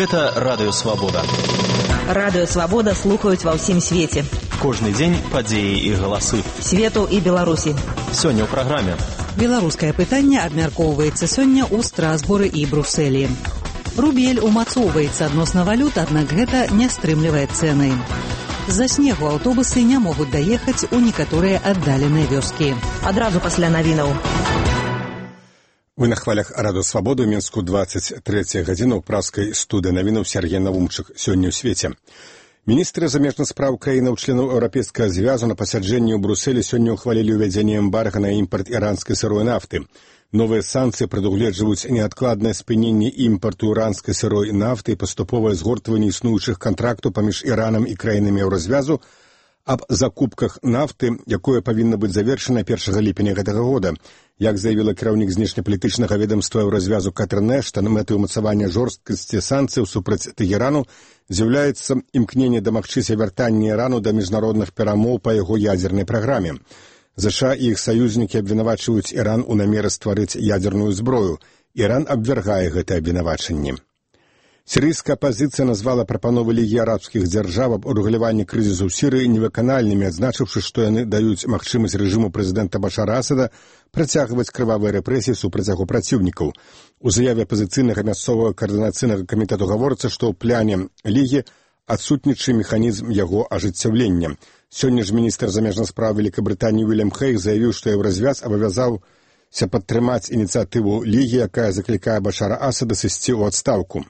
Гэта Радыё Свабода. Радыё Свабода слухаюць ва ўсім свеце. Кожны дзень падзеі і галасы. Свету і Беларусі. Сёння ў праграме. Беларускае пытанне абмяркоўваецца сёння ў Страсбуры і Брусэлі. Рубель умацоўваецца адносна валют, аднак гэта не стрымлівае цэны. З-за снегу аўтобусы не могуць даехаць у некаторыя аддаленыя вёскі. Адразу пасля навінаў. Вы на хвалях Радыё Свабоды, Мінску 23 гадзіна ў праскай студыі навінаў Сергей Навумчык. Сёння ў свеце. Міністры замежных спраў краінаў членаў Еўрапейскага звязу на пасяджэнні ў Брусэлі сёння ўхвалілі ўвядзенне эмбарга на імпарт іранскай сырой нафты. Новыя санкцыі прадугледжваюць неадкладнае спыненне імпарту іранскай сырой нафты і паступовае згортванне існуючых кантрактаў паміж Іранам і краінамі Еўразвязу аб закупках нафты, якое павінна быць завершана 1 ліпеня гэтага года. Як заявіла кіраўнік знешнепалітычнага ведамства Еўразвязу Катрын Эштан, мэтай умацавання жорсткасці санкцыяў супраць Тэгэрану з'яўляецца імкненне дамагчыся вяртання Ірану да міжнародных перамоў па яго ядзернай праграме. ЗША і іх саюзнікі абвінавачваюць Іран у намеры стварыць ядзерную зброю. Іран абвяргае гэтае абвінавачанне. Сірыйская апазіцыя назвала прапановы Лігі арабскіх дзяржаў аб урэгуляванні крызісу ў Сірыі невыканальнымі, адзначыўшы, што яны даюць магчымасць рэжыму прэзідэнта Башара Асада працягваць крывавыя рэпрэсіі супраць яго праціўнікаў. У заяве апазіцыйнага мясцовага каардынацыйнага камітэту гаворыцца, што ў пляне Лігі адсутнічае механізм яго ажыццяўлення. Сёння ж міністр замежных спраў Вялікабрытаніі Уільям Хейг заявіў, што Еўразвяз абавязаўся падтрымаць ініцыятыву Лігі, якая заклікае Башара Асада сысці ў адстаўку.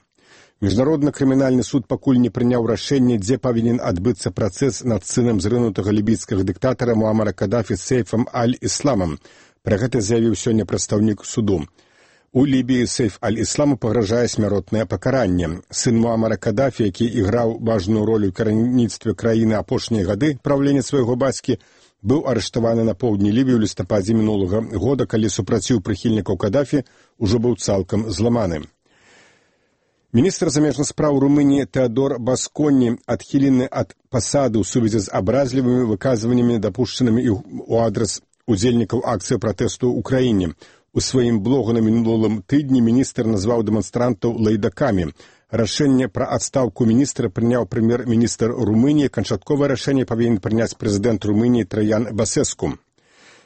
Міжнародны крымінальны суд пакуль не прыняў рашэнне, дзе павінен адбыцца працэс над сынам зрынутага лібійскага дыктатара Муамара Кадафі Сейфам Аль-Ісламам. Пра гэта заявіў сёння прадстаўнік суду. У Лібіі Сейф Аль-Ісламу пагражае смяротнае пакаранне. Сын Муамара Кадафі, які іграў важную ролю ў кіраўніцтве краіны апошнія гады правлення свайго бацькі, быў арыштаваны на поўдні Лібіі ў лістападзе мінулага года, калі супраціў прыхільнікаў Кадафі ўжо быў цалкам зламаны. Міністр замежных спраў Румыніі Теодор Басконі адхілены ад пасады ў сувязі з абразлівымі выказваннямі, дапушчанымі ў адрас удзельнікаў акцыі пратэсту ў краіне. У сваім блогу на мінулым тыдні міністр назваў дэманстрантаў лайдакамі. Рашэнне пра адстаўку міністра прыняў прэм'ер-міністр Румыніі. Канчатковае рашэнне павінен прыняць прэзідэнт Румыніі Траян Басэску.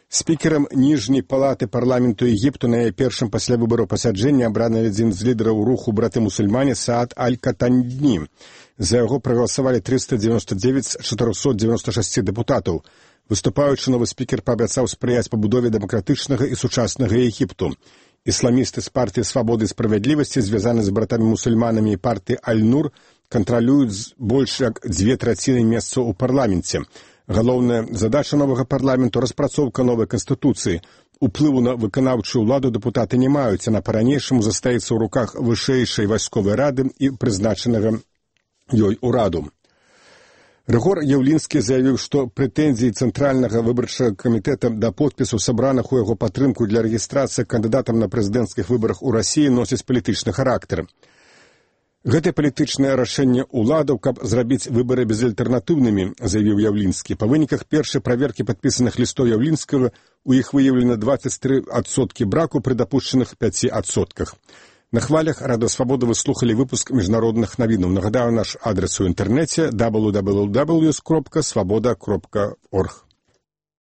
Спікерам ніжняй палаты парламенту Егіпту на яе першым пасля выбараў пасяджэння абраны адзін з лідараў руху браты-мусульмане Саад Аль-Катаньні. За яго прагаласавалі 399 з 496 дэпутатаў. Выступаючы, новы спікер паабяцаў спрыяць пабудове дэмакратычнага і сучаснага Егіпту. Ісламісты з партыі Свабоды і справядлівасці, звязаны з братамі-мусульманамі і партыі Аль-Нур, кантралююць больш як 2/3 месцаў у парламенце. Галоўная задача новага парламенту – распрацоўка новай канстытуцыі. Уплыву на выканаўчую ўладу дэпутаты не маюць, яна па-ранейшаму застаецца ў руках вышэйшай вайсковай рады і прызначанага ёй ураду. Рыгор Яўлінскі заявіў, што прэтэнзіі Цэнтральнага выбарчага камітэта да подпісу сабраных у яго падтрымку для рэгістрацыі кандыдатам на прэзідэнцкіх выбарах у Расіі носіць палітычны характар. Гэта палітычнае рашэнне ўладаў, каб зрабіць выбары безальтэрнатыўнымі, заявіў Яўлінскі. Па выніках першай праверкі падпісаных лістоў Яўлінскага у іх выяўлена 23% браку пры дапушчаных 5%. На хвалях Радыё Свабода вы слухалі выпуск міжнародных навінаў. Нагадаю, наш адрес у інтэрнэце www.swaboda.org.